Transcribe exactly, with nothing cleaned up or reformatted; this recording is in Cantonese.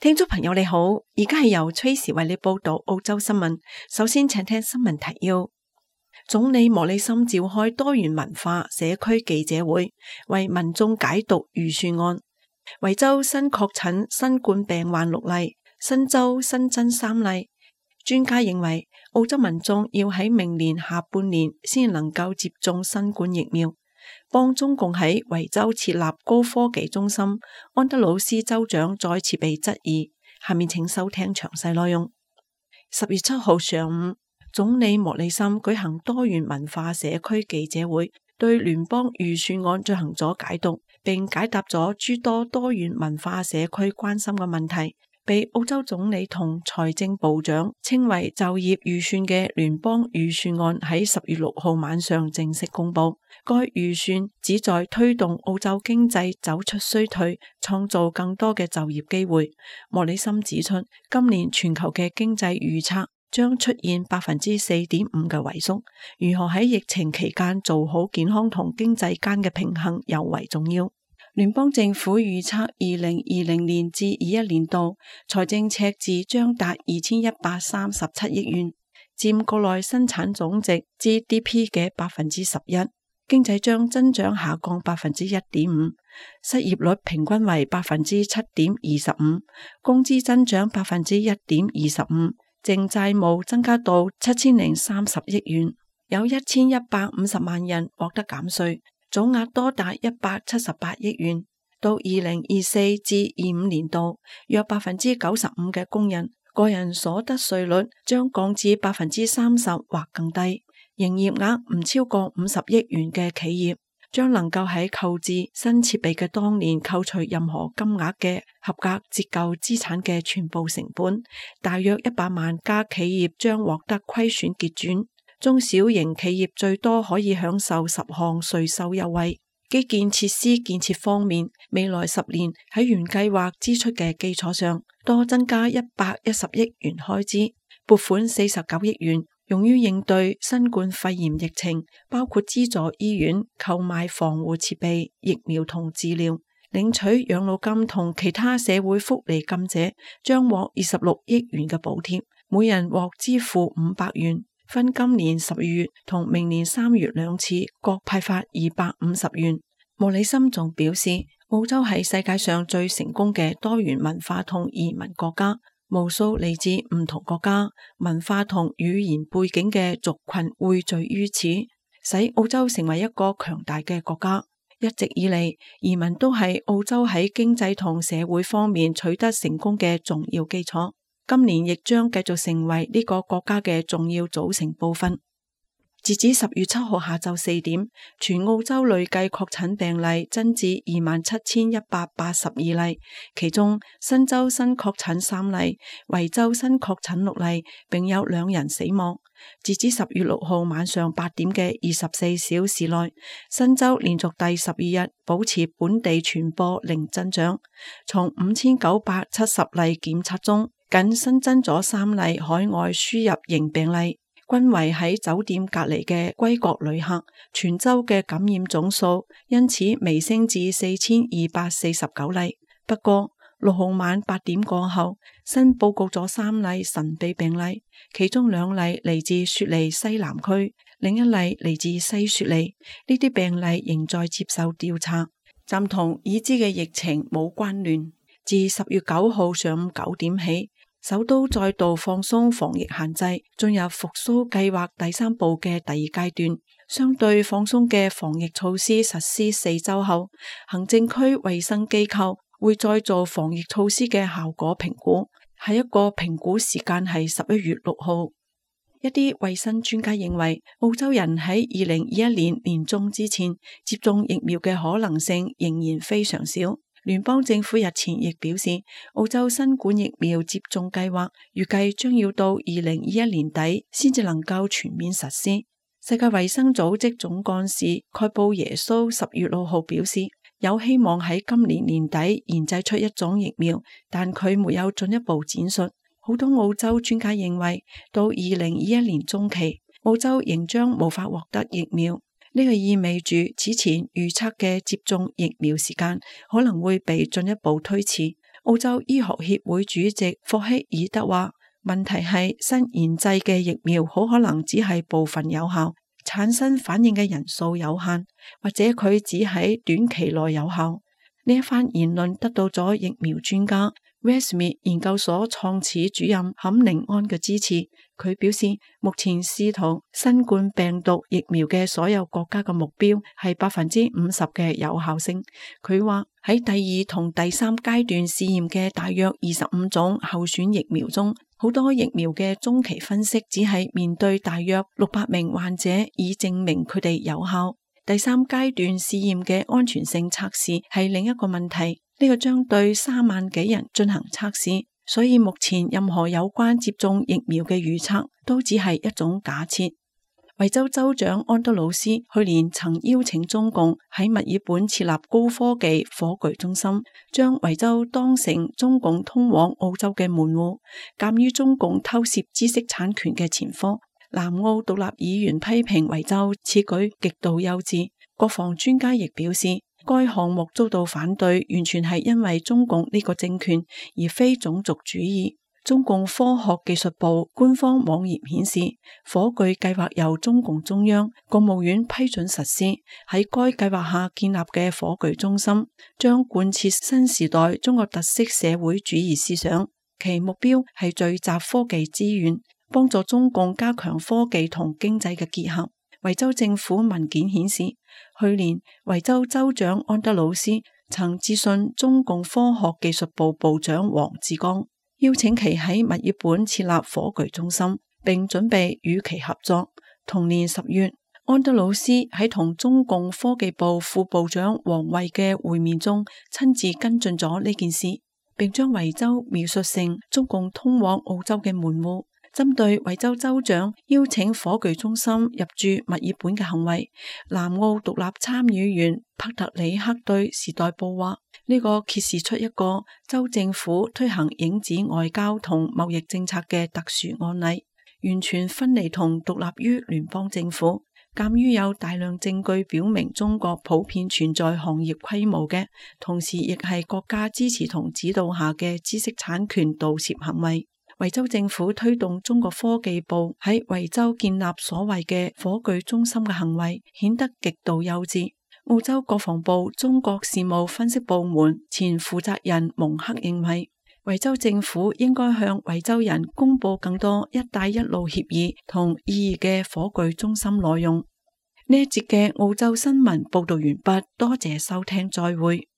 聽眾朋友你好，而家係由崔時為你報道澳洲新聞。首先請聽新聞提要。總理莫里森召開多元文化社區記者會，為民眾解讀預算案。維州新確診新冠病患六例，新州新增三例。專家認為澳洲民眾要喺明年下半年先能夠接種新冠疫苗。幫中共喺維州設立高科技中心，安德魯斯州長再次被質疑。下面請收聽詳細內容。十月七號上午，總理莫里森舉行多元文化社區記者會，對聯邦預算案進行咗解讀，並解答咗諸多多元文化社區關心嘅問題。被澳洲總理同財政部長稱為就業預算嘅聯邦預算案喺十月六號晚上正式公布。該預算旨在推動澳洲經濟走出衰退，創造更多嘅就業機會。莫里森指出，今年全球嘅經濟預測將出現百分之四點五嘅萎縮，如何喺疫情期間做好健康同經濟間嘅平衡尤為重要。聯邦政府預測二零二零年至二一年度財政赤字將達二千一百三十七億元，佔國內生產總值 G D P 嘅百分之十一，經濟將增長下降百分之一點五，失業率平均為百分之七點二十五，工資增長百分之一點二十五，淨債務增加到七千零三十億元，有一千一百五十萬人獲得減稅。總額多達一百七十八億元，到二零二四至二五年度，約百分之九十五嘅工人個人所得稅率將降至百分之三十或更低。營業額唔超過五十億元嘅企業將能夠喺購置新設備嘅當年扣除任何金額嘅合格折舊資產嘅全部成本。大約一百萬家企業將獲得虧損結轉。中小型企業最多可以享受十項稅收優惠。基建設施建設方面，未來十年喺原計劃支出嘅基礎上，多增加一百一十億元開支，撥款四十九億元用於應對新冠肺炎疫情，包括資助醫院購買防護設備、疫苗同治療。領取養老金同其他社會福利金者將獲二十六億元嘅補貼，每人獲支付五百元。分今年十月同明年三月兩次，各派發二百五十元。莫里森仲表示，澳洲係世界上最成功嘅多元文化同移民國家，無數嚟自唔同國家、文化同語言背景嘅族群匯聚於此，使澳洲成為一個強大嘅國家。一直以嚟，移民都係澳洲喺經濟同社會方面取得成功嘅重要基礎。今年亦將繼續成為呢個國家嘅重要組成部分。截至十月七號下晝四點，全澳洲累計確診病例增至二萬七千一百八十二例，其中新州新確診三例，維州新確診六例，並有兩人死亡。截至十月六號晚上八點嘅二十四小時內，新州連續第十二日保持本地傳播零增長，從五千九百七十例檢測中，僅新增咗三例海外輸入型病例，均為喺酒店隔離嘅歸國旅客。全州嘅感染總數因此微升至四千二百四十九例。不過六號晚八點過後，新報告咗三例神秘病例，其中兩例嚟自雪梨西南區，另一例嚟自西雪梨。呢啲病例仍在接受調查，暫同已知嘅疫情冇關聯。自十月九號上午九點起，首都再度放鬆防疫限制，進入復甦計劃第三步嘅第二階段。相對放鬆嘅防疫措施實施四周後，行政區衛生機構會再做防疫措施嘅效果評估，下一個評估時間係十一月六號。一啲衛生專家認為，澳洲人喺二零二一年年中之前接種疫苗嘅可能性仍然非常少。聯邦政府日前亦表示，澳洲新冠疫苗接種計劃預計將要到二零二一年底先至能夠全面實施。世界衛生組織總幹事蓋布耶蘇十月六號表示，有希望喺今年年底研製出一種疫苗，但佢沒有進一步展述。好多澳洲專家認為，到二零二一年中期，澳洲仍將無法獲得疫苗。呢個意味住此前預測嘅接種疫苗時間可能會被進一步推遲。澳洲醫學協會主席霍希爾德話，問題係新研製嘅疫苗好可能只係部分有效，產生反應嘅人數有限，或者佢只喺短期內有效。呢一番言論得到咗疫苗專家威斯密研究所創始主任坎寧安嘅支持。佢表示，目前試圖新冠病毒疫苗嘅所有國家嘅目標係百分之五十嘅有效性。佢話喺第二同第三階段試驗嘅大約二十五種候選疫苗中，好多疫苗嘅中期分析只係面對大約六百名患者，以證明佢哋有效。第三階段試驗嘅安全性測試係另一個問題，呢個將對三萬幾人進行測試，所以目前任何有關接種疫苗嘅預測都只係一種假設。維州州長安德魯斯去年曾邀請中共喺墨爾本設立高科技火炬中心，將維州當成中共通往澳洲嘅門戶。鑒於中共偷竊知識產權嘅前科，南澳獨立議員批評維州此舉極度幼稚。國防專家亦表示，該項目遭到反對，完全係因為中共呢個政權，而非種族主義。中共科學技術部官方網頁顯示，火炬計劃由中共中央、國務院批准實施。喺該計劃下建立嘅火炬中心，將貫徹新時代中國特色社會主義思想，其目標係聚集科技資源，幫助中共加強科技同經濟嘅結合。維州政府文件顯示，去年維州州長安德魯斯曾致信中共科學技術部部長王志剛，邀請其喺墨爾本設立火炬中心，並準備與其合作。同年十月，安德魯斯喺同中共科技部副部長王衛嘅會面中，親自跟進咗呢件事，並將維州描述成中共通往澳洲嘅門戶。針對維州州長邀請火炬中心入駐墨爾本嘅行為，南澳獨立參議員帕特里克對時代報話，呢、這個揭示出一個州政府推行影子外交同貿易政策嘅特殊案例，完全分離同獨立於聯邦政府。鑒於有大量證據表明中國普遍存在行業規模嘅，同時亦係國家支持同指導下嘅知識產權盜竊行為。維州政府推動中國科技部喺維州建立所謂嘅火炬中心嘅行為，顯得極度幼稚。澳洲國防部中國事務分析部門前負責人蒙克認為，維州政府應該向維州人公布更多一帶一路協議同意義嘅火炬中心內容。呢一節嘅澳洲新聞報道完畢，多謝收聽，再會。